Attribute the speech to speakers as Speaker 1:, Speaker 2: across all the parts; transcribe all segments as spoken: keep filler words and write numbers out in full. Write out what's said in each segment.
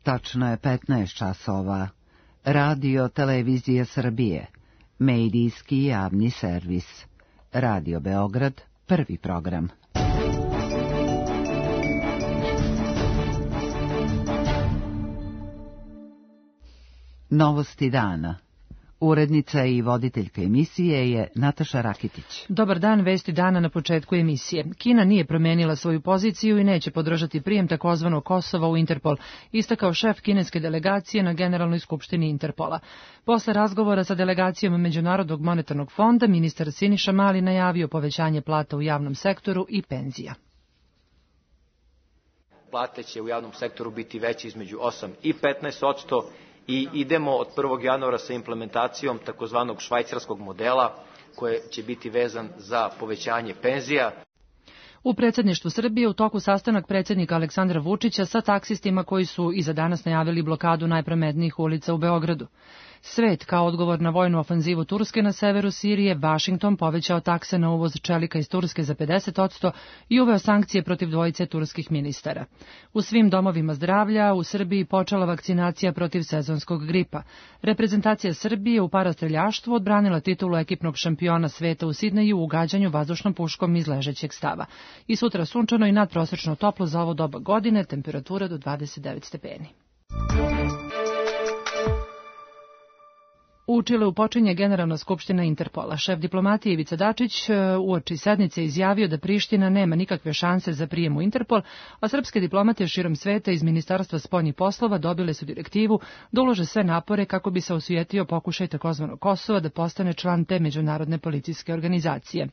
Speaker 1: Tačno je petnaest časova. Radio Televizija Srbije. Medijski javni servis. Radio Beograd, prvi program. Novosti dana. Urednica i voditeljka emisije je Nataša Rakitić.
Speaker 2: Dobar dan, vesti dana na početku emisije. Kina nije promenila svoju poziciju i neće podržati prijem takozvanog Kosova u Interpol, istakao šef kineske delegacije na Generalnoj skupštini Interpola. Posle razgovora sa delegacijom Međunarodnog monetarnog fonda, ministar Siniša Mali najavio povećanje plata u javnom sektoru i penzija.
Speaker 3: Plate će u javnom sektoru biti veće između osam i petnaest posto. I idemo od prvog januara sa implementacijom takozvanog švajcarskog modela koje će biti vezan za povećanje penzija.
Speaker 2: U predsjedništvu Srbije u toku sastanak predsjednika Aleksandra Vučića sa taksistima koji su i za danas najavili blokadu najprometnijih ulica u Beogradu. Svet, kao odgovor na vojnu ofanzivu Turske na severu Sirije, Vašington povećao takse na uvoz čelika iz Turske za pedeset posto i uveo sankcije protiv dvojice turskih ministara. U svim domovima zdravlja u Srbiji počela vakcinacija protiv sezonskog gripa. Reprezentacija Srbije u parastreljaštvu odbranila titulu ekipnog šampiona sveta u Sidneju u gađanju vazdušnom puškom iz ležećeg stava. I sutra sunčano i nadprosečno toplo za ovo doba godine, temperatura do dvadeset devet stepeni. U Čileu počinje Generalna skupština Interpola. Šef diplomatije Ivica Dačić uoči sednice izjavio da Priština nema nikakve šanse za prijem u Interpol, a srpske diplomate širom sveta iz Ministarstva spoljnih poslova dobile su direktivu da ulože sve napore kako bi se osujetio pokušaj takozvanog Kosova da postane član te međunarodne policijske organizacije.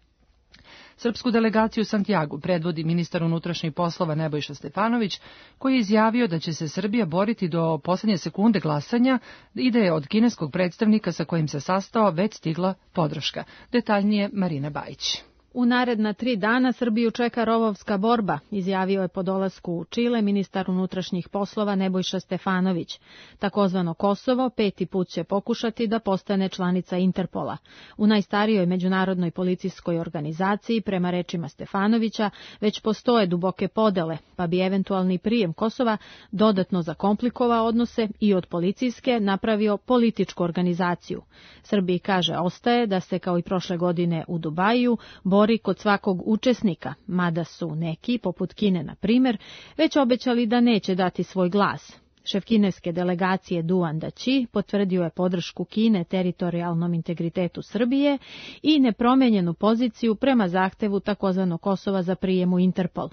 Speaker 2: Srpsku delegaciju u Santiagu predvodi ministar unutrašnjih poslova Nebojša Stefanović, koji je izjavio da će se Srbija boriti do posljednje sekunde glasanja i da je od kineskog predstavnika sa kojim se sastao već stigla podrška. Detaljnije Marina Bajić.
Speaker 4: U naredna tri dana Srbiju čeka rovovska borba, izjavio je po dolasku u Čile ministar unutrašnjih poslova Nebojša Stefanović. Takozvano Kosovo peti put će pokušati da postane članica Interpola. U najstarijoj međunarodnoj policijskoj organizaciji, prema rečima Stefanovića, već postoje duboke podele, pa bi eventualni prijem Kosova dodatno zakomplikovao odnose i od policijske napravio političku organizaciju. Srbiji, kaže, ostaje da se kao i prošle godine u Dubaju bori kod svakog učesnika, mada su neki, poput Kine na primjer, već obećali da neće dati svoj glas. Šef kineske delegacije Duan Daći potvrdio je podršku Kine teritorijalnom integritetu Srbije i nepromenjenu poziciju prema zahtevu takozvanog Kosova za prijem u Interpol.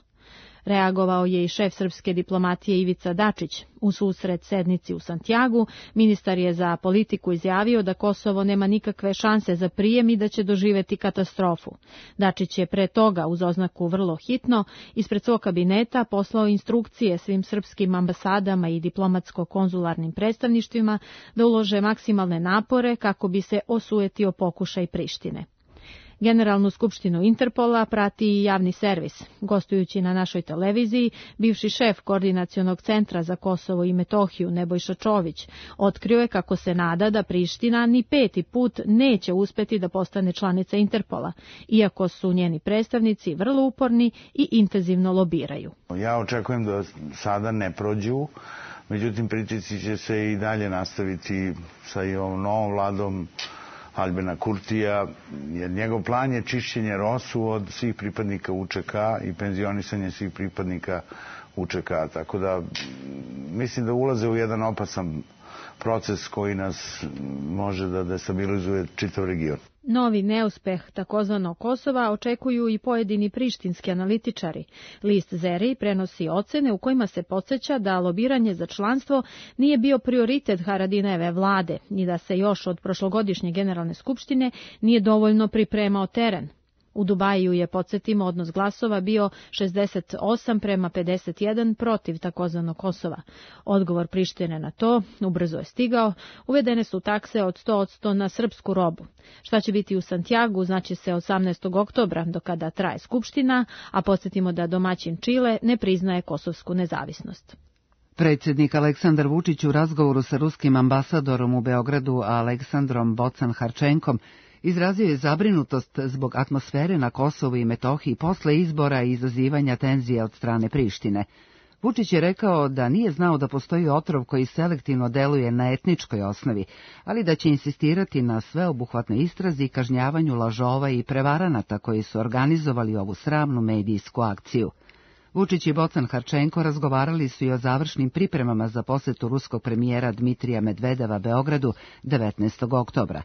Speaker 4: Reagovao je i šef srpske diplomatije Ivica Dačić. U susret sednici u Santiagu, ministar je za politiku izjavio da Kosovo nema nikakve šanse za prijem i da će doživeti katastrofu. Dačić je pre toga, uz oznaku vrlo hitno, ispred svog kabineta poslao instrukcije svim srpskim ambasadama i diplomatsko-konzularnim predstavništvima da ulože maksimalne napore kako bi se osujetio pokušaj Prištine. Generalnu skupštinu Interpola prati i javni servis. Gostujući na našoj televiziji, bivši šef Koordinacionog centra za Kosovo i Metohiju Nebojša Čović otkrio je kako se nada da Priština ni peti put neće uspeti da postane članica Interpola, iako su njeni predstavnici vrlo uporni i intenzivno lobiraju.
Speaker 5: Ja očekujem da sada ne prođu, međutim pritisci će se i dalje nastaviti sa i ovom novom vladom Albena Kurtija, jer njegov plan je čišćenje Rosu od svih pripadnika U Č K i penzionisanje svih pripadnika U Č K. Tako da mislim da ulaze u jedan opasan proces koji nas može da destabilizuje čitav region.
Speaker 4: Novi neuspeh takozvanog Kosova očekuju i pojedini prištinski analitičari. List Zeri prenosi ocene u kojima se podsjeća da lobiranje za članstvo nije bio prioritet Haradinajeve vlade i da se još od prošlogodišnje generalne skupštine nije dovoljno pripremao teren. U Dubaju je, podsjetimo, odnos glasova bio šezdeset osam prema pedeset jedan protiv takozvanog Kosova. Odgovor Prištine na to ubrzo je stigao, uvedene su takse od sto posto na srpsku robu. Šta će biti u Santiagu znači se osamnaestog oktobra, do kada traje skupština, a podsjetimo da domaćin Čile ne priznaje kosovsku nezavisnost.
Speaker 1: Predsjednik Aleksandar Vučić u razgovoru sa ruskim ambasadorom u Beogradu Aleksandrom Bocan-Harčenkom izrazio je zabrinutost zbog atmosfere na Kosovu i Metohiji posle izbora i izazivanja tenzija od strane Prištine. Vučić je rekao da nije znao da postoji otrov koji selektivno deluje na etničkoj osnovi, ali da će insistirati na sveobuhvatnoj istrazi i kažnjavanju lažova i prevaranata koji su organizovali ovu sramnu medijsku akciju. Vučić i Bocan Harčenko razgovarali su i o završnim pripremama za posetu ruskog premijera Dmitrija Medvedeva Beogradu devetnaestog oktobra.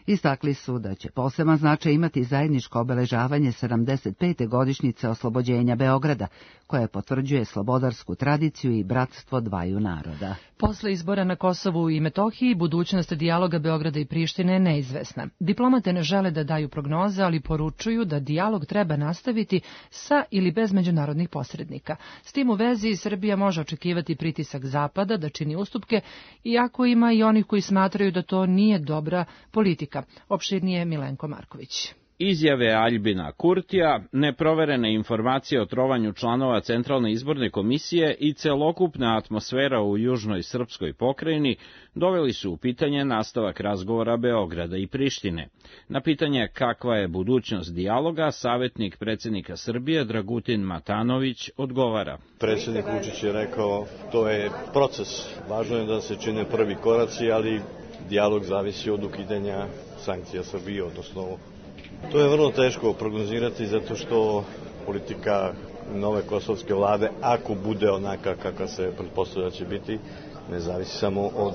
Speaker 1: Istakli su da će poseban značaj imati zajedničko obeležavanje sedamdeset pete godišnjice oslobođenja Beograda, koja potvrđuje slobodarsku tradiciju i bratstvo dvaju naroda.
Speaker 2: Posle izbora na Kosovu i Metohiji, budućnost dijaloga Beograda i Prištine je neizvesna. Diplomate ne žele da daju prognoze, ali poručuju da dijalog treba nastaviti sa ili bez međunarodnih posrednika. S tim u vezi Srbija može očekivati pritisak Zapada da čini ustupke, iako ima i onih koji smatraju da to nije dobra politika. Opširnije Milenko Marković.
Speaker 6: Izjave Aljbina Kurtija, neproverene informacije o trovanju članova Centralne izborne komisije i celokupna atmosfera u južnoj srpskoj pokrajini doveli su u pitanje nastavak razgovora Beograda i Prištine. Na pitanje kakva je budućnost dijaloga, savjetnik predsjednika Srbije Dragutin Matanović odgovara.
Speaker 7: Predsjednik Vučić je rekao, to je proces. Važno je da se čine prvi koraci, ali dijalog zavisi od ukidanja sankcija Srbije, odnosno to je vrlo teško prognozirati zato što politika nove kosovske vlade, ako bude onaka kakva se pretpostavlja će biti, ne zavisi samo od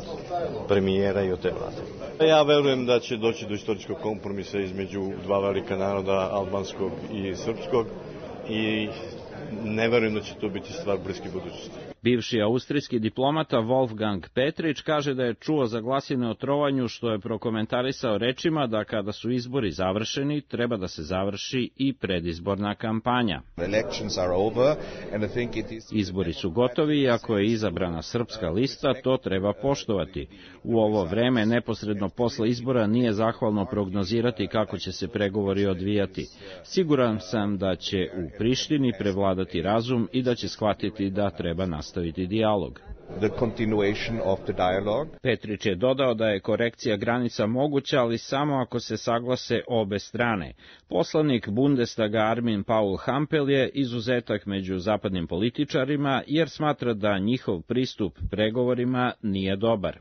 Speaker 7: premijera i od te vlade. Ja verujem da će doći do istorijskog kompromisa između dva velika naroda, albanskog i srpskog, i ne verujem da će to biti stvar bliske budućnosti.
Speaker 6: Bivši austrijski diplomata Wolfgang Petrić kaže da je čuo za glasine o trovanju, što je prokomentarisao rečima da kada su izbori završeni, treba da se završi i predizborna kampanja. Izbori su gotovi i ako je izabrana srpska lista, to treba poštovati. U ovo vreme, neposredno posle izbora, nije zahvalno prognozirati kako će se pregovori odvijati. Siguran sam da će u Prištini prevladati razum i da će shvatiti da treba nastaviti dijalog. Petrić je dodao da je korekcija granica moguća, ali samo ako se saglase obe strane. Poslanik Bundestaga Armin Paul Hampel je izuzetak među zapadnim političarima, jer smatra da njihov pristup pregovorima nije dobar.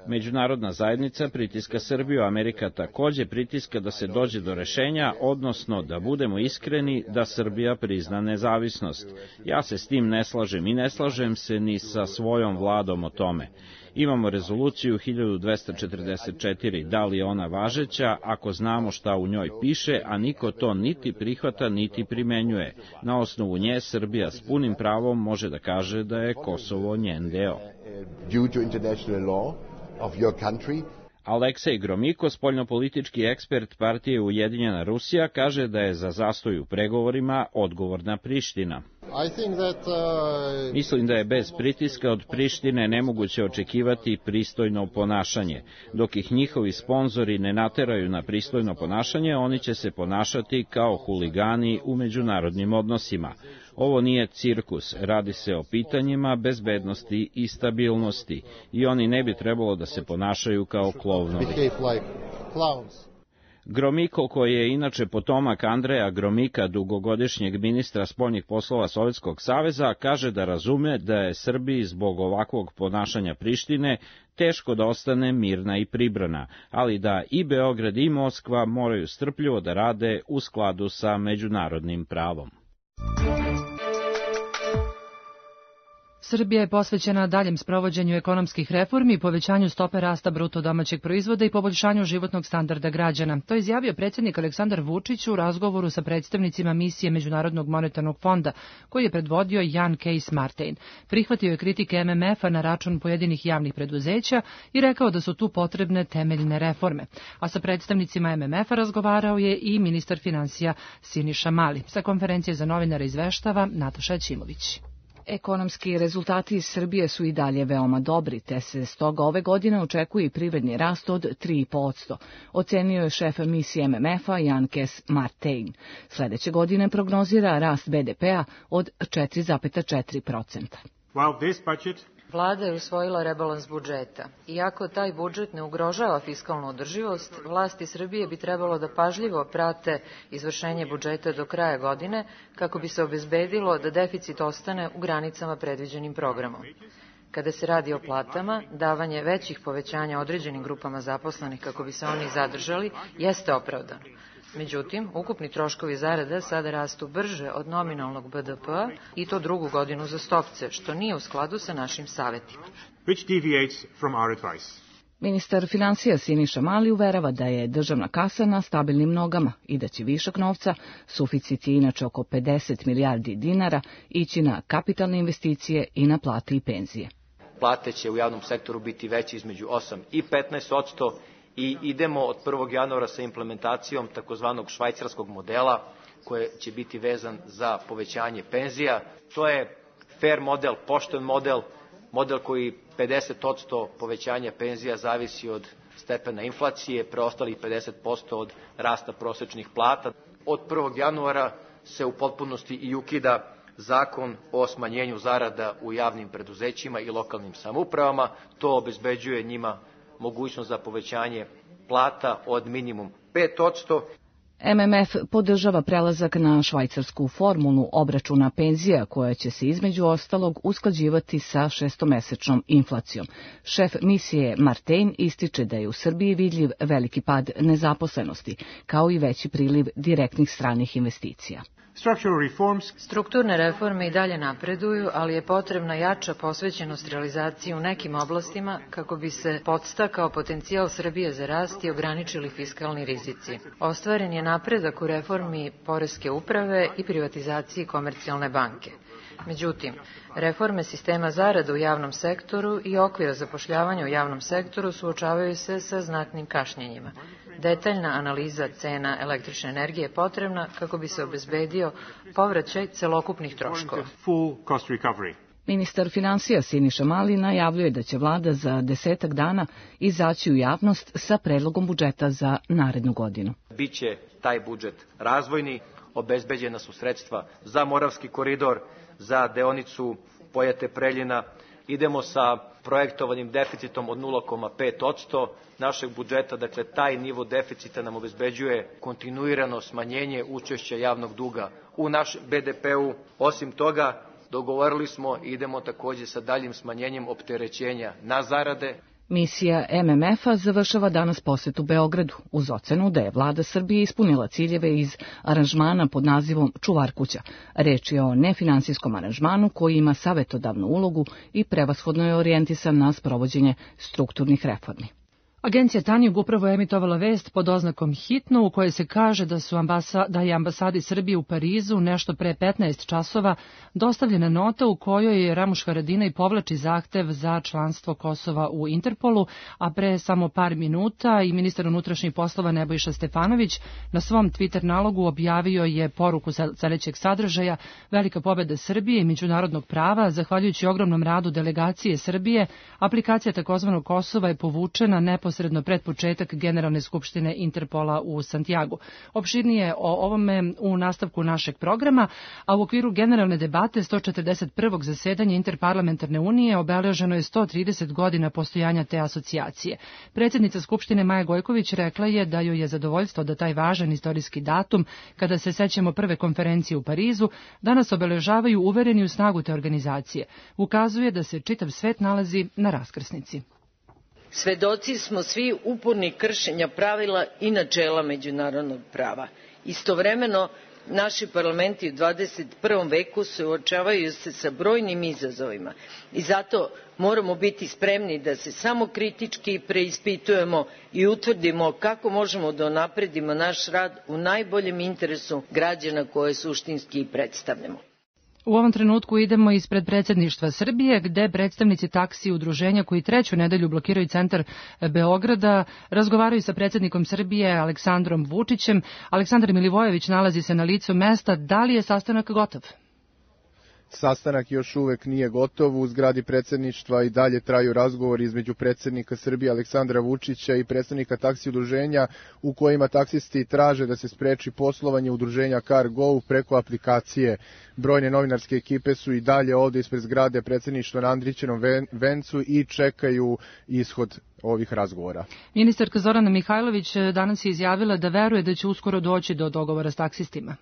Speaker 6: Međunarodna zajednica pritiska Srbiju, Amerika takođe pritiska da se dođe do rešenja, odnosno da budemo iskreni da Srbija prizna nezavisnost. Ja se s tim ne slažem i ne slažem se ni sa svojom vladom o tome. Imamo rezoluciju hiljadu dvesta četrdeset četiri, da li je ona važeća ako znamo šta u njoj piše, a niko to niti prihvata niti primenjuje. Na osnovu nje Srbija s punim pravom može da kaže da je Kosovo njen deo. Aleksej Gromiko, spoljnopolitički ekspert partije Ujedinjena Rusija, kaže da je za zastoj u pregovorima odgovorna Priština. Mislim da je bez pritiska od Prištine nemoguće očekivati pristojno ponašanje. Dok ih njihovi sponzori ne nateraju na pristojno ponašanje, oni će se ponašati kao huligani u međunarodnim odnosima. Ovo nije cirkus, radi se o pitanjima bezbednosti i stabilnosti i oni ne bi trebalo da se ponašaju kao klovnovi. Gromiko, koji je inače potomak Andreja Gromika, dugogodišnjeg ministra spoljnih poslova Sovjetskog saveza, kaže da razume da je Srbiji zbog ovakvog ponašanja Prištine teško da ostane mirna i pribrana, ali da i Beograd i Moskva moraju strpljivo da rade u skladu sa međunarodnim pravom.
Speaker 2: Srbija je posvećena daljem sprovođenju ekonomskih reformi, povećanju stope rasta bruto domaćeg proizvoda i poboljšanju životnog standarda građana. To je izjavio predsjednik Aleksandar Vučić u razgovoru sa predstavnicima misije Međunarodnog monetarnog fonda, koji je predvodio Jan Kees Martin. Prihvatio je kritike M M F-a na račun pojedinih javnih preduzeća i rekao da su tu potrebne temeljne reforme. A sa predstavnicima M M F-a razgovarao je i ministar finansija Siniša Mali. Sa konferencije za novinare izveštava Nataša Ćimović.
Speaker 8: Ekonomski rezultati iz Srbije su i dalje veoma dobri, te se stoga ove godine očekuje i privredni rast od tri i po posto, ocenio je šef misije M M F-a Jan Kees Martin. Sledeće godine prognozira rast B D P-a od četiri zarez četiri posto.
Speaker 9: Vlada je usvojila rebalans budžeta. Iako taj budžet ne ugrožava fiskalnu održivost, vlasti Srbije bi trebalo da pažljivo prate izvršenje budžeta do kraja godine kako bi se obezbedilo da deficit ostane u granicama predviđenim programom. Kada se radi o platama, davanje većih povećanja određenim grupama zaposlenih kako bi se oni zadržali jeste opravdano. Međutim, ukupni troškovi zarada sada rastu brže od nominalnog B D P-a i to drugu godinu uzastopce, što nije u skladu sa našim savetima.
Speaker 8: Ministar finansija Siniša Mali uverava da je državna kasa na stabilnim nogama i da će višak novca, suficit je inače oko pedeset milijardi dinara, ići na kapitalne investicije i na plate i penzije.
Speaker 3: Plate će u javnom sektoru biti veće između osam i petnaest odsto i idemo od prvog januara sa implementacijom takozvanog švajcarskog modela koji će biti vezan za povećanje penzija. To je fair model, pošten model, model koji pedeset odsto povećanja penzija zavisi od stepena inflacije, preostalih pedeset posto od rasta prosečnih plata. Od prvog januara se u potpunosti i ukida zakon o smanjenju zarada u javnim preduzećima i lokalnim samoupravama. To obezbeđuje njima mogućnost za povećanje plata od minimum pet odsto.
Speaker 8: M M F podržava prelazak na švajcarsku formulu obračuna penzija koja će se između ostalog usklađivati sa šestomesečnom inflacijom. Šef misije Martin ističe da je u Srbiji vidljiv veliki pad nezaposlenosti, kao i veći priliv direktnih stranih investicija.
Speaker 9: Strukturne reforme i dalje napreduju, ali je potrebna jača posvećenost realizaciji u nekim oblastima kako bi se podstakao potencijal Srbije za rast i ograničili fiskalni rizici. Ostvaren je napredak u reformi poreske uprave i privatizaciji Komercijalne banke. Međutim, reforme sistema zarada u javnom sektoru i okvira zapošljavanja u javnom sektoru suočavaju se sa znatnim kašnjenjima. Detaljna analiza cena električne energije je potrebna kako bi se obezbedio povraćaj celokupnih troškova.
Speaker 8: Ministar finansija Siniša Mali najavljuje da će vlada za desetak dana izaći u javnost sa predlogom budžeta za narednu godinu.
Speaker 3: Biće taj budžet razvojni, obezbeđena su sredstva za Moravski koridor, za deonicu Pojate-Preljina. Idemo sa projektovanim deficitom od nula zarez pet odsto našeg budžeta, dakle taj nivo deficita nam obezbeđuje kontinuirano smanjenje učešća javnog duga u našem B D P-u. Osim toga, dogovorili smo i idemo takođe sa daljim smanjenjem opterećenja na zarade.
Speaker 8: Misija M M F-a završava danas posetu Beogradu uz ocenu da je vlada Srbije ispunila ciljeve iz aranžmana pod nazivom Čuvar kuća. Reč je o nefinansijskom aranžmanu koji ima savetodavnu ulogu i prevashodno je orijentisan na sprovođenje strukturnih reformi.
Speaker 2: Agencija Tanjug upravo je emitovala vest pod oznakom hitno u kojoj se kaže da su ambasa, da je ambasadi Srbije u Parizu nešto pre petnaest časova dostavljena nota u kojoj je Ramuš Haradinaj povlači zahtev za članstvo Kosova u Interpolu, a pre samo par minuta i ministar unutrašnjih poslova Nebojša Stefanović na svom Twitter nalogu objavio je poruku sledećeg sadržaja: velika pobeda Srbije i međunarodnog prava, zahvaljujući ogromnom radu delegacije Srbije, aplikacija takozvanog Kosova je povučena neposredno posredno pred početak Generalne skupštine Interpola u Santiagu. Opširnije o ovome u nastavku našeg programa, a u okviru generalne debate sto četrdeset prvog zasedanja Interparlamentarne unije obeleženo je sto trideset godina postojanja te asocijacije. Predsjednica Skupštine Maja Gojković rekla je da joj je zadovoljstvo da taj važan istorijski datum, kada se sećamo prve konferencije u Parizu, danas obeležavaju uvereni u snagu te organizacije. Ukazuje da se čitav svet nalazi na raskrsnici.
Speaker 10: Svedoci smo svi upornih kršenja pravila i načela međunarodnog prava. Istovremeno, naši parlamenti u dvadeset prvom veku suočavaju se sa brojnim izazovima i zato moramo biti spremni da se samokritički preispitujemo i utvrdimo kako možemo da unapredimo naš rad u najboljem interesu građana koje suštinski i predstavljamo.
Speaker 2: U ovom trenutku idemo ispred predsjedništva Srbije, gde predstavnici taksi udruženja koji treću nedelju blokiraju centar Beograda razgovaraju sa predsjednikom Srbije Aleksandrom Vučićem. Aleksandar Milivojević nalazi se na licu mesta. Da li je sastanak gotov?
Speaker 11: sastanak još uvek nije gotov. U zgradi predsjedništva i dalje traju razgovori između predsjednika Srbije Aleksandra Vučića i predstavnika taksi udruženja u kojima taksisti traže da se spreči poslovanje udruženja CarGo preko aplikacije. Brojne novinarske ekipe su i dalje ovde ispred zgrade predsjedništva na Andrićevom vencu i čekaju ishod ovih razgovora.
Speaker 2: Ministarka Zorana Mihajlović danas je izjavila da veruje da će uskoro doći do dogovora s taksistima.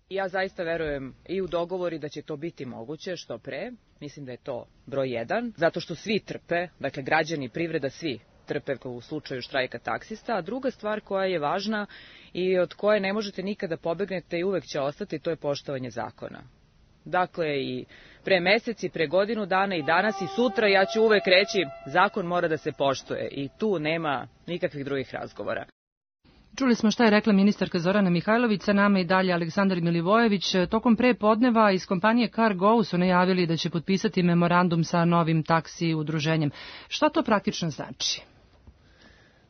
Speaker 12: Ja zaista verujem i u dogovori da će to biti moguće što pre. Mislim da je to broj jedan, zato što svi trpe, dakle građani, privreda, svi trpe u slučaju štrajka taksista. A druga stvar koja je važna i od koje ne možete nikada pobegnete i uvek će ostati, to je poštovanje zakona. Dakle, i pre mesec i pre godinu dana i danas i sutra ja ću uvek reći zakon mora da se poštuje i tu nema nikakvih drugih razgovora.
Speaker 2: Čuli smo šta je rekla ministarka Zorana Mihajlović, sa nama i dalje Aleksandar Milivojević. Tokom pre podneva iz kompanije CarGo su najavili da će potpisati memorandum sa novim taksi udruženjem. Šta to praktično znači?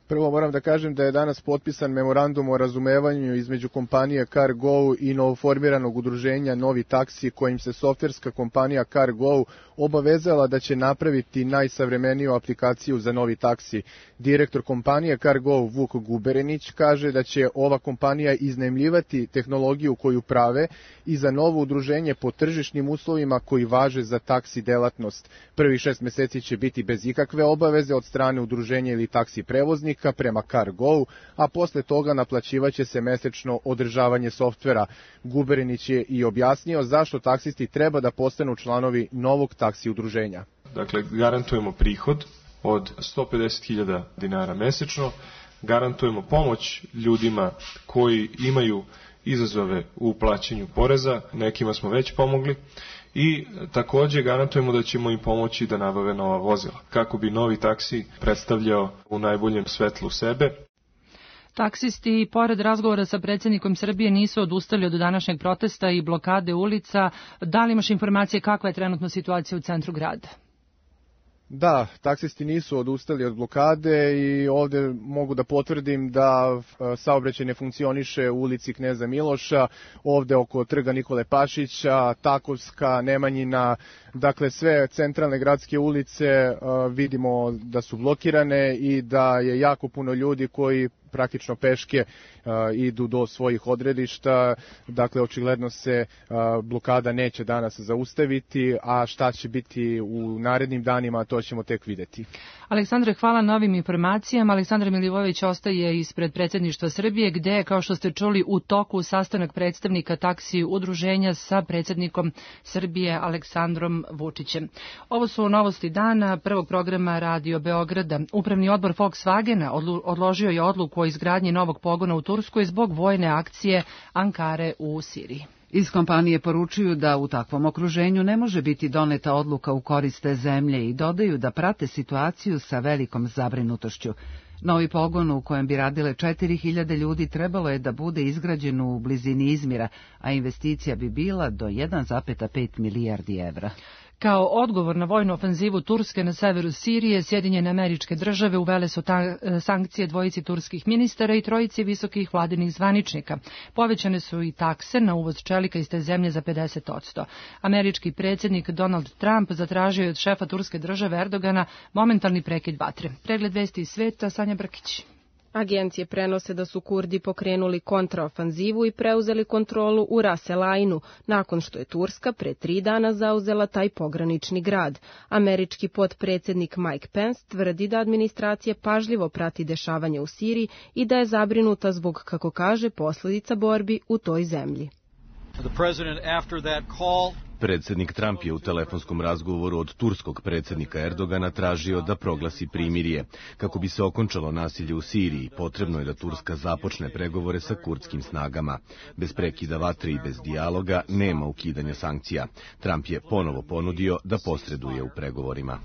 Speaker 11: Prvo moram da kažem da je danas potpisan memorandum o razumevanju između kompanije CarGo i novoformiranog udruženja Novi taksi, kojim se softverska kompanija CarGo obavezala da će napraviti najsavremeniju aplikaciju za Novi taksi. Direktor kompanije CarGo Vuk Guberenić kaže da će ova kompanija iznajmljivati tehnologiju koju prave i za novo udruženje po tržišnim uslovima koji važe za taksi delatnost. Prvih šest meseci će biti bez ikakve obaveze od strane udruženja ili taksi prevoznika prema CarGo, a posle toga naplaćivaće se mesečno održavanje softvera. Guberenić je i objasnio zašto taksisti treba da postanu članovi novog taksi udruženja.
Speaker 13: Dakle, garantujemo prihod od sto pedeset hiljada dinara mesečno, garantujemo pomoć ljudima koji imaju izazove u plaćanju poreza, nekima smo već pomogli, i takođe garantujemo da ćemo im pomoći da nabave nova vozila, kako bi novi taksi predstavljao u najboljem svetlu sebe.
Speaker 2: Taksisti, pored razgovora sa predsjednikom Srbije, nisu odustali od današnjeg protesta i blokade ulica. Da li imaš informacije kakva je trenutno situacija u centru grada?
Speaker 11: Da, taksisti nisu odustali od blokade i ovde mogu da potvrdim da saobraćaj ne funkcioniše u ulici Kneza Miloša, ovde oko trga Nikole Pašića, Takovska, Nemanjina, dakle sve centralne gradske ulice vidimo da su blokirane i da je jako puno ljudi koji praktično peške uh, idu do svojih odredišta, dakle očigledno se uh, blokada neće danas zaustaviti, a šta će biti u narednim danima, to ćemo tek videti.
Speaker 2: Aleksandre, hvala na ovim informacijama. Aleksandar Milivojević ostaje ispred predsjedništva Srbije, gde je, kao što ste čuli, u toku sastanak predstavnika taksi udruženja sa predsjednikom Srbije Aleksandrom Vučićem. Ovo su novosti dana prvog programa Radio Beograda. Upravni odbor Volkswagena odložio je odluku o izgradnji novog pogona u Turskoj zbog vojne akcije Ankare u Siriji.
Speaker 1: Iz kompanije poručuju da u takvom okruženju ne može biti doneta odluka u korist te zemlje i dodaju da prate situaciju sa velikom zabrinutošću. Novi pogon u kojem bi radile četiri hiljade ljudi trebalo je da bude izgrađen u blizini Izmira, a investicija bi bila do jedan zarez pet milijardi evra.
Speaker 2: Kao odgovor na vojnu ofenzivu Turske na severu Sirije, Sjedinjene Američke Države uvele su ta, sankcije dvojici turskih ministara i trojici visokih vladinih zvaničnika. Povećane su i takse na uvoz čelika iz te zemlje za pedeset posto. Američki predsjednik Donald Trump zatražio je od šefa turske države Erdogana momentalni prekid vatre. Pregled vesti iz sveta, Sanja Brkić.
Speaker 14: Agencije prenose da su Kurdi pokrenuli kontraofanzivu i preuzeli kontrolu u Ras El Ainu, nakon što je Turska pre tri dana zauzela taj pogranični grad. Američki potpredsjednik Mike Pence tvrdi da administracija pažljivo prati dešavanje u Siriji i da je zabrinuta zbog, kako kaže, posljedica borbi u toj zemlji.
Speaker 15: Predsjednik Trump je u telefonskom razgovoru od turskog predsjednika Erdogana tražio da proglasi primirje. Kako bi se okončalo nasilje u Siriji, potrebno je da Turska započne pregovore sa kurdskim snagama. Bez prekida vatre i bez dijaloga nema ukidanja sankcija. Trump je ponovo ponudio da posreduje u pregovorima.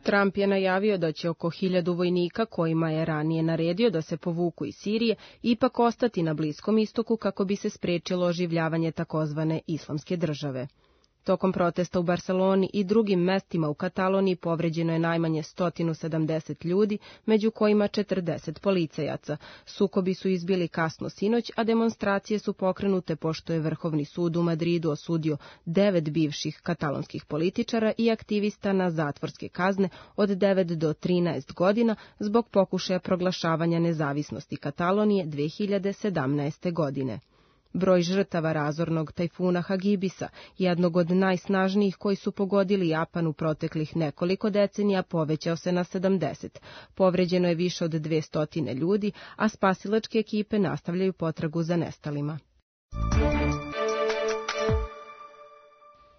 Speaker 14: Trump je najavio da će oko hiljadu vojnika, kojima je ranije naredio da se povuku iz Sirije, ipak ostati na Bliskom istoku kako bi se sprečilo oživljavanje takozvane islamske države. Tokom protesta u Barceloni i drugim mestima u Kataloniji povređeno je najmanje sto sedamdeset ljudi, među kojima četrdeset policajaca. Sukobi su izbili kasno sinoć, a demonstracije su pokrenute pošto je Vrhovni sud u Madridu osudio devet bivših katalonskih političara i aktivista na zatvorske kazne od devet do trinaest godina zbog pokušaja proglašavanja nezavisnosti Katalonije dve hiljade sedamnaeste. godine. Broj žrtava razornog tajfuna Hagibisa, jednog od najsnažnijih koji su pogodili Japan u proteklih nekoliko decenija, povećao se na sedamdeset. Povređeno je više od dvesta ljudi, a spasilačke ekipe nastavljaju potragu za nestalima.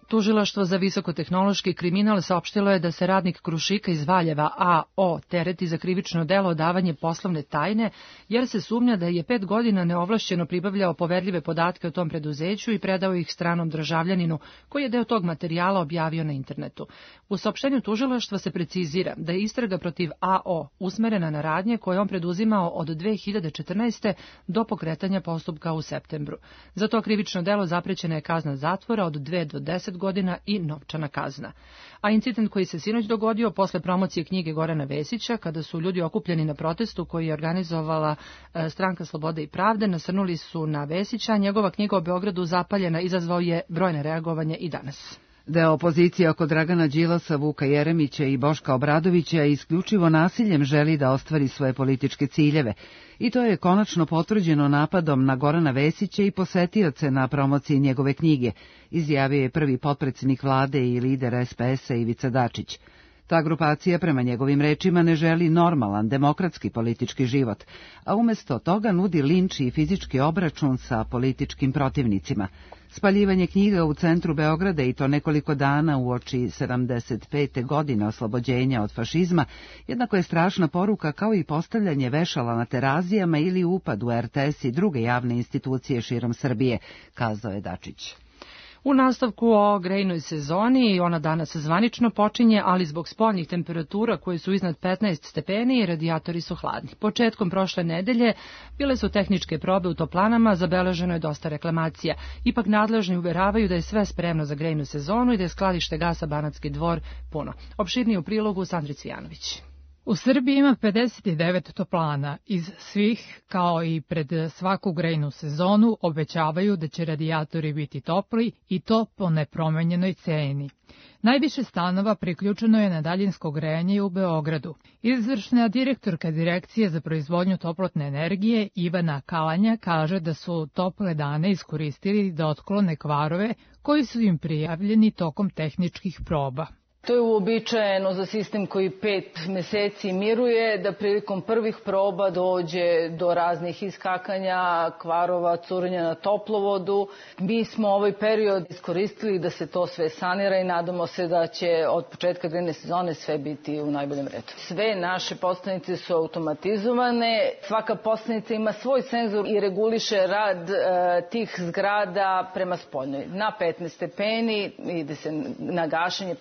Speaker 2: Tužilaštvo za visokotehnološki kriminal saopštilo je da se radnik Krušika iz Valjeva A O tereti za krivično delo odavanje poslovne tajne, jer se sumnja da je pet godina neovlašćeno pribavljao poverljive podatke o tom preduzeću i predao ih stranom državljaninu, koji je deo tog materijala objavio na internetu. U saopštenju tužilaštva se precizira da je istraga protiv A O usmerena na radnje koje on preduzimao od dve hiljade četrnaeste. do pokretanja postupka u septembru. Za to krivično delo zaprećena je kazna zatvora od dve do deset godina i novčana kazna. A incident koji se sinoć dogodio posle promocije knjige Gorana Vesića, kada su ljudi okupljeni na protestu koji je organizovala Stranka slobode i pravde, nasrnuli su na Vesića, njegova knjiga o Beogradu zapaljena izazvao je brojne reagovanje i danas.
Speaker 1: Deo opozicije oko Dragana Đilasa, Vuka Jeremića i Boška Obradovića isključivo nasiljem želi da ostvari svoje političke ciljeve. I to je konačno potvrđeno napadom na Gorana Vesića i posetioce na promociji njegove knjige, izjavio je prvi potpredsjednik vlade i lider S P S-a Ivica Dačić. Ta grupacija, prema njegovim rečima, ne želi normalan, demokratski politički život, a umjesto toga nudi linč i fizički obračun sa političkim protivnicima. Spaljivanje knjiga u centru Beograda i to nekoliko dana uoči sedamdeset pete. godine oslobođenja od fašizma, jednako je strašna poruka kao i postavljanje vešala na Terazijama ili upad u R T S i druge javne institucije širom Srbije, kazao je Dačić.
Speaker 2: U nastavku o grejnoj sezoni, ona danas zvanično počinje, ali zbog spoljnih temperatura koje su iznad petnaest stepeni, radijatori su hladni. Početkom prošle nedelje bile su tehničke probe u toplanama, zabeleženo je dosta reklamacija. Ipak nadležni uveravaju da je sve spremno za grejnu sezonu i da je skladište gasa Banatski Dvor puno. Opširnije u prilogu Sandri Cvijanović.
Speaker 16: U Srbiji ima pedeset devet toplana. Iz svih, kao i pred svaku grejnu sezonu, obećavaju da će radijatori biti topli i to po nepromenjenoj ceni. Najviše stanova priključeno je na daljinsko grejanje u Beogradu. Izvršna direktorka Direkcije za proizvodnju toplotne energije Ivana Kalanja kaže da su tople dane iskoristili da otklone kvarove koji su im prijavljeni tokom tehničkih proba.
Speaker 17: To je uobičajeno za sistem koji pet meseci miruje, da prilikom prvih proba dođe do raznih iskakanja, kvarova, curenja na toplovodu. Mi smo ovaj period iskoristili da se to sve sanira i nadamo se da će od početka grejne sezone sve biti u najboljem redu. Sve naše postanice su automatizovane, svaka postanica ima svoj senzor i reguliše rad e, tih zgrada prema spoljnoj. Na petnaest stepeni ide se na gašenje.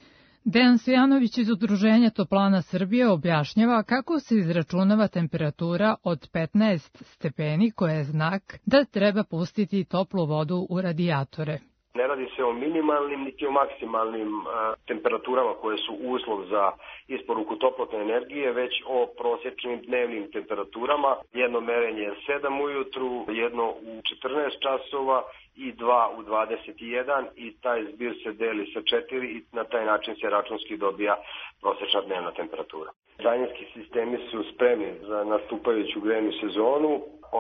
Speaker 16: Dejan Stojanović iz Udruženja Toplana Srbije objašnjava kako se izračunava temperatura od petnaest stepeni koja je znak da treba pustiti toplu vodu u radijatore.
Speaker 18: Ne radi se o minimalnim niti o maksimalnim uh, temperaturama koje su uslov za isporuku toplotne energije, već o prosječnim dnevnim temperaturama. Jedno merenje je sedam ujutru, jedno u četrnaest časova i dva u dvadeset jedan i taj zbir se deli sa četiri i na taj način se računski dobija prosječna dnevna temperatura. Daljinski sistemi su spremni za nastupajuću grejnu sezonu.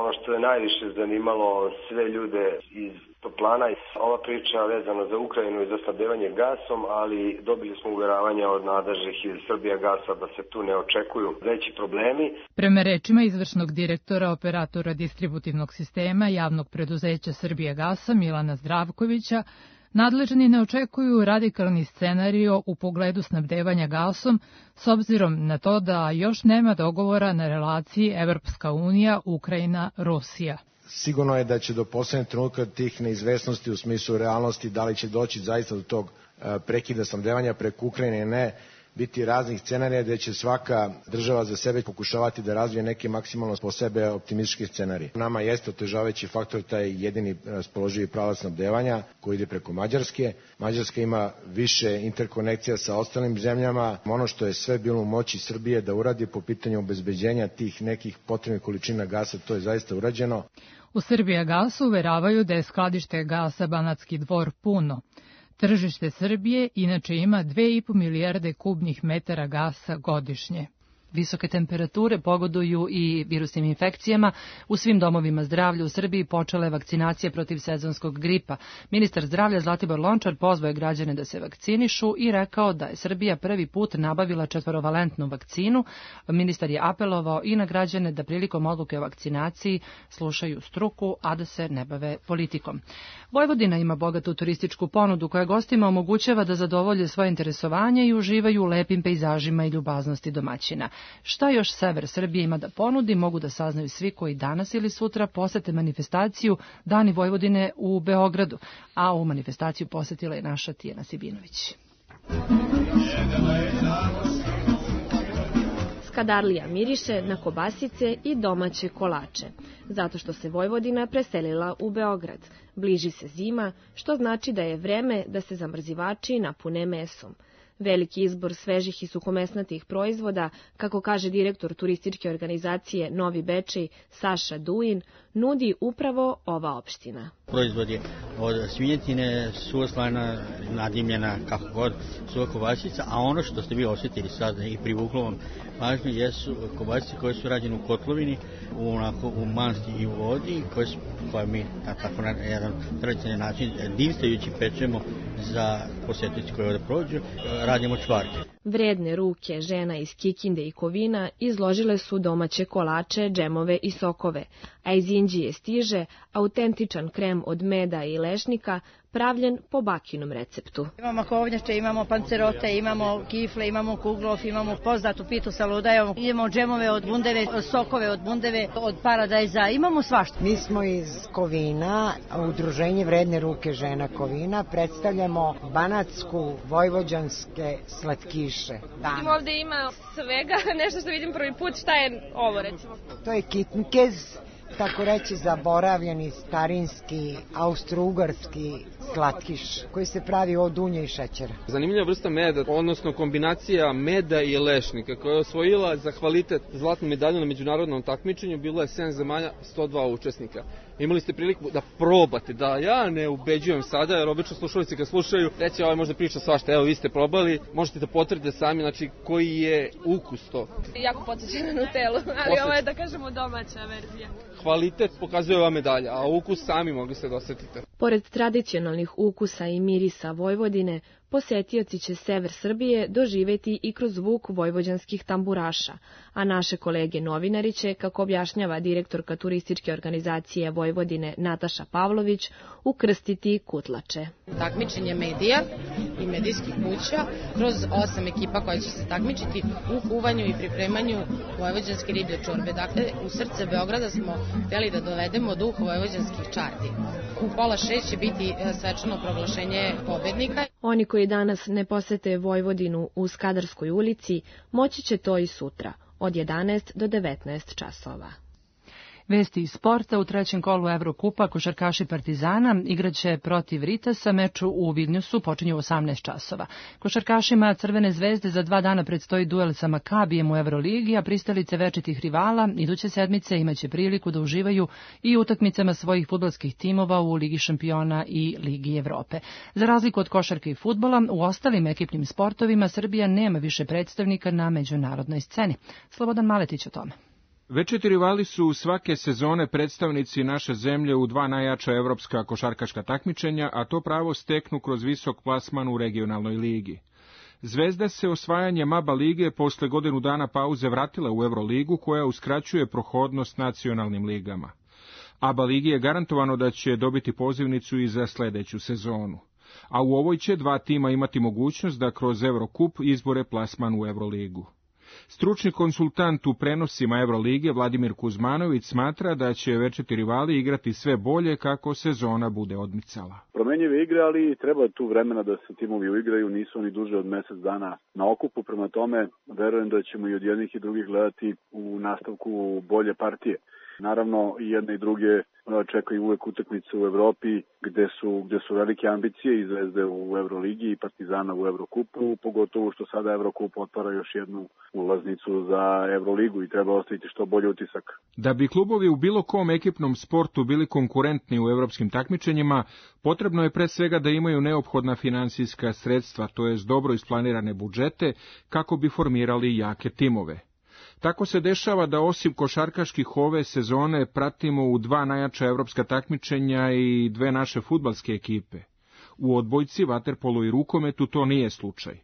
Speaker 18: Ono što je najviše zanimalo sve ljude iz Toplana, ova priča vezana za Ukrajinu i za snabdevanje gasom, ali dobili smo uveravanja od nadležnih iz Srbijagasa da se tu ne očekuju veći problemi.
Speaker 16: Prema rečima izvršnog direktora operatora distributivnog sistema javnog preduzeća Srbijagasa Milana Zdravkovića, nadležni ne očekuju radikalni scenario u pogledu snabdevanja gasom, s obzirom na to da još nema dogovora na relaciji Evropska unija, Ukrajina, Rusija.
Speaker 19: Sigurno je da će do poslednjeg trenutka tih neizvesnosti u smislu realnosti da li će doći zaista do tog prekida snabdevanja preko Ukrajine ili ne, biti raznih scenarija gde će svaka država za sebe pokušavati da razvije neke maksimalno po sebe optimističke scenarije. Nama jeste otežavajući faktor taj jedini raspoloživi pravac snabdevanja koji ide preko Mađarske. Mađarska ima više interkonekcija sa ostalim zemljama. Ono što je sve bilo u moći Srbije da uradi po pitanju obezbeđenja tih nekih potrebnih količina gasa, to je zaista urađeno.
Speaker 16: U Srbijagasu uveravaju da je skladište gasa Banatski Dvor puno. Tržište Srbije inače ima dve i po milijarde kubnih metara gasa godišnje.
Speaker 2: Visoke temperature pogoduju i virusnim infekcijama. U svim domovima zdravlja u Srbiji počela je vakcinacija protiv sezonskog gripa. Ministar zdravlja Zlatibor Lončar pozvao je građane da se vakcinišu i rekao da je Srbija prvi put nabavila četvorovalentnu vakcinu. Ministar je apelovao i na građane da prilikom odluke o vakcinaciji slušaju struku, a da se ne bave politikom. Vojvodina ima bogatu turističku ponudu koja gostima omogućava da zadovolje svoje interesovanje i uživaju u lepim pejzažima i ljubaznosti domaćina. Šta još sever Srbije ima da ponudi, mogu da saznaju svi koji danas ili sutra posete manifestaciju Dani Vojvodine u Beogradu, a u manifestaciju posetila je naša Tijana Sibinović.
Speaker 14: Skadarlija miriše na kobasice i domaće kolače, zato što se Vojvodina preselila u Beograd. Bliži se zima, što znači da je vreme da se zamrzivači napune mesom. Veliki izbor svežih i suhomesnatih proizvoda, kako kaže direktor turističke organizacije Novi Bečej Saša Duin, nudi upravo ova opština.
Speaker 20: Proizvod je od svinjetine, suva slana, nadimljena, kako god, suva kobasica, a ono što ste vi osjetili sad i privuklo vam pažnju jesu kobasice koje su rađene u kotlovini, u, onako, u masti i u vodi, koje, su, koje mi na tako na jedan tradicionalni način divstajući pečemo za posjetitelji koji ovdje prođu, radimo čvarke.
Speaker 14: Vredne ruke žena iz Kikinde i Kovina izložile su domaće kolače, džemove i sokove, a iz Inđije stiže autentičan krem od meda i lešnika, pravljen po bakinom receptu.
Speaker 21: Imamo kovnjače, imamo pancerote, imamo kifle, imamo kuglov, imamo poznatu pitu sa ludajom, imamo džemove od bundeve, sokove od bundeve, od paradajza, imamo svašta.
Speaker 22: Mi smo iz Kovina, udruženje Vredne ruke žena Kovina, predstavljamo banatsku vojvođanske slatkiše.
Speaker 23: Vidim ovde ima svega, nešto što vidim prvi put, šta je ovo recimo?
Speaker 22: To je kitnkez, tako reći zaboravljeni starinski austrougarski slatkiš koji se pravi od unja i šećera.
Speaker 24: Zanimljiva vrsta meda, odnosno kombinacija meda i lešnika koja je osvojila za kvalitet zlatnu medalju na međunarodnom takmičenju, bilo je sedam zemalja, sto dva učesnika. Imali ste priliku da probate, da ja ne ubeđujem sada, jer obično slušalice kad slušaju, reći ovaj možda priča svašta, evo vi ste probali, možete da potvrdite sami, znači koji je ukus to.
Speaker 23: Jako podsjeća na Nutellu, ali Posjeća. Ovo je da kažemo domaća verzija.
Speaker 24: Kvalitet pokazuje ova medalja, a ukus sami mogli se da osetite.
Speaker 14: Pored tradicionalnih ukusa i mirisa Vojvodine, posetioci će sever Srbije doživeti i kroz zvuk vojvođanskih tamburaša, a naše kolege novinari će, kako objašnjava direktorka turističke organizacije Vojvodine Nataša Pavlović, ukrstiti kutlače.
Speaker 25: Takmičenje medija i medijskih kuća kroz osam ekipa koja će se takmičiti u kuvanju i pripremanju vojvođanske riblje čorbe. Dakle, u srce Beograda smo htjeli da dovedemo duh vojvođanskih čardi. U pola šest će biti svečano proglašenje pobednika.
Speaker 14: Oni koji danas ne posete Vojvodinu u Skadarskoj ulici, moći će to i sutra, od jedanaest do devetnaest časova.
Speaker 2: Vesti iz sporta: u trećem kolu Evrokupa košarkaši Partizana igraće protiv Ritasa, meču u Vilniusu počinje u osamnaest časova. Košarkašima Crvene zvezde za dva dana predstoji duel sa Makabijem u Evroligi, a pristalice večitih rivala iduće sedmice imaće priliku da uživaju i utakmicama svojih fudbalskih timova u Ligi šampiona i Ligi Evrope. Za razliku od košarke i fudbala, u ostalim ekipnim sportovima Srbija nema više predstavnika na međunarodnoj sceni. Slobodan Maletić o tome.
Speaker 26: Večiti rivali su svake sezone predstavnici naše zemlje u dva najjača evropska košarkaška takmičenja, a to pravo steknu kroz visok plasman u regionalnoj ligi. Zvezda se osvajanjem A B A lige posle godinu dana pauze vratila u Evroligu, koja uskraćuje prohodnost nacionalnim ligama. A B A ligi je garantovano da će dobiti pozivnicu i za sledeću sezonu, a u ovoj će dva tima imati mogućnost da kroz Evrokup izbore plasman u Evroligu. Stručni konsultant u prenosima Evrolige Vladimir Kuzmanović smatra da će večiti rivali igrati sve bolje kako sezona bude odmicala.
Speaker 3: Promenjive igre, ali treba tu vremena da se timovi uigraju, nisu oni duže od mesec dana na okupu, prema tome verujem da ćemo i od jednih i drugih gledati u nastavku bolje partije. Naravno, i jedne i druge čekaju uvek utakmice u Evropi gde su, gde su velike ambicije i Zvezde u Evroligi i Partizana u Evrokupu, pogotovo što sada Evrokup otvara još jednu ulaznicu za Evroligu i treba ostaviti što bolji utisak.
Speaker 26: Da bi klubovi u bilo kom ekipnom sportu bili konkurentni u evropskim takmičenjima, potrebno je pre svega da imaju neophodna finansijska sredstva, to jest dobro isplanirane budžete, kako bi formirali jake timove. Tako se dešava da osim košarkaških ove sezone pratimo u dva najjača evropska takmičenja i dve naše fudbalske ekipe. U odbojci, vaterpolu i rukometu to nije slučaj.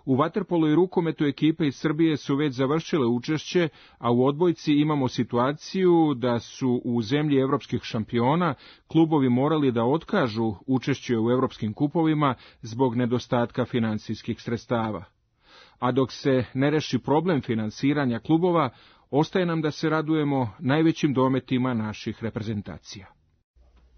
Speaker 26: U vaterpolu i rukometu ekipe iz Srbije su već završile učešće, a u odbojci imamo situaciju da su u zemlji evropskih šampiona klubovi morali da otkažu učešće u evropskim kupovima zbog nedostatka finansijskih sredstava. A dok se ne reši problem finansiranja klubova, ostaje nam da se radujemo najvećim dometima naših reprezentacija.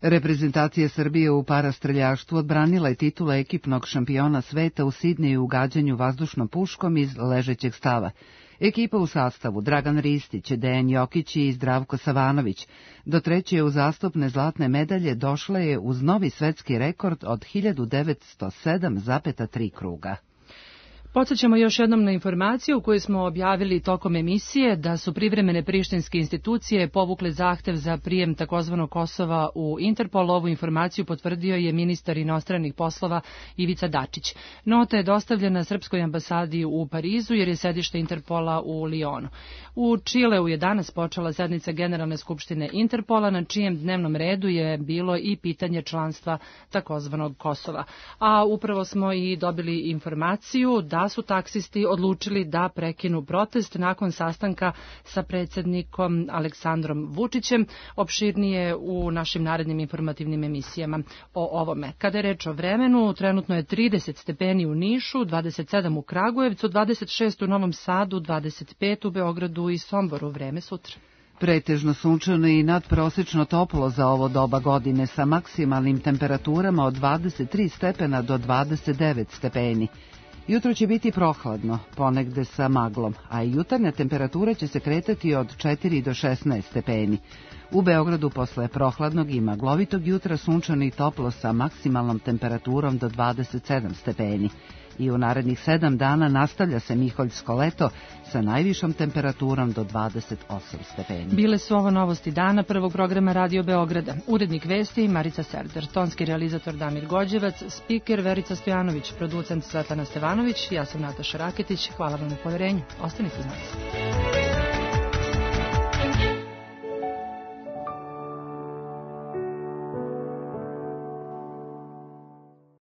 Speaker 1: Reprezentacija Srbije u parastreljaštvu odbranila je titula ekipnog šampiona sveta u Sidneju u gađanju vazdušnom puškom iz ležećeg stava. Ekipa u sastavu Dragan Ristić, Dejan Jokić i Zdravko Savanović do treće uzastopne zlatne medalje došla je uz novi svetski rekord od hiljadu devetsto sedam zarez tri kruga.
Speaker 2: Podsjećamo još jednom na informaciju koju smo objavili tokom emisije da su privremene prištinske institucije povukle zahtev za prijem takozvanog Kosova u Interpol. Ovu informaciju potvrdio je ministar inostranih poslova Ivica Dačić. Nota je dostavljena Srpskoj ambasadi u Parizu jer je sedište Interpola u Lionu. U Čileu je danas počela sednica Generalne skupštine Interpola, na čijem dnevnom redu je bilo i pitanje članstva takozvanog Kosova. A upravo smo i dobili informaciju da su taksisti odlučili da prekinu protest nakon sastanka sa predsjednikom Aleksandrom Vučićem. Opširnije u našim narednim informativnim emisijama o ovome. Kada je reč o vremenu, trenutno je trideset stepeni u Nišu, dvadeset sedam u Kragujevcu, dvadeset šest u Novom Sadu, dvadeset pet u Beogradu i Somboru. Vreme sutra.
Speaker 1: Pretežno sunčano i nadprosečno toplo za ovo doba godine sa maksimalnim temperaturama od dvadeset tri stepena do dvadeset devet stepeni. Jutro će biti prohladno, ponegde sa maglom, a i jutarnja temperatura će se kretati od četiri do šesnaest stepeni. U Beogradu posle prohladnog i maglovitog jutra sunčano i toplo sa maksimalnom temperaturom do dvadeset sedam stepeni. I u narednih sedam dana nastavlja se miholjsko leto sa najvišom temperaturom do dvadeset osam stepeni.
Speaker 2: Bile su ovo novosti dana prvog programa Radio Beograda. Urednik vesti Marica Serder, tonski realizator Damir Gođevac, spiker Verica Stojanović, producent Svetlana Stevanović, ja sam Nataša Raketić. Hvala vam na poverenju. Ostanite uz nas.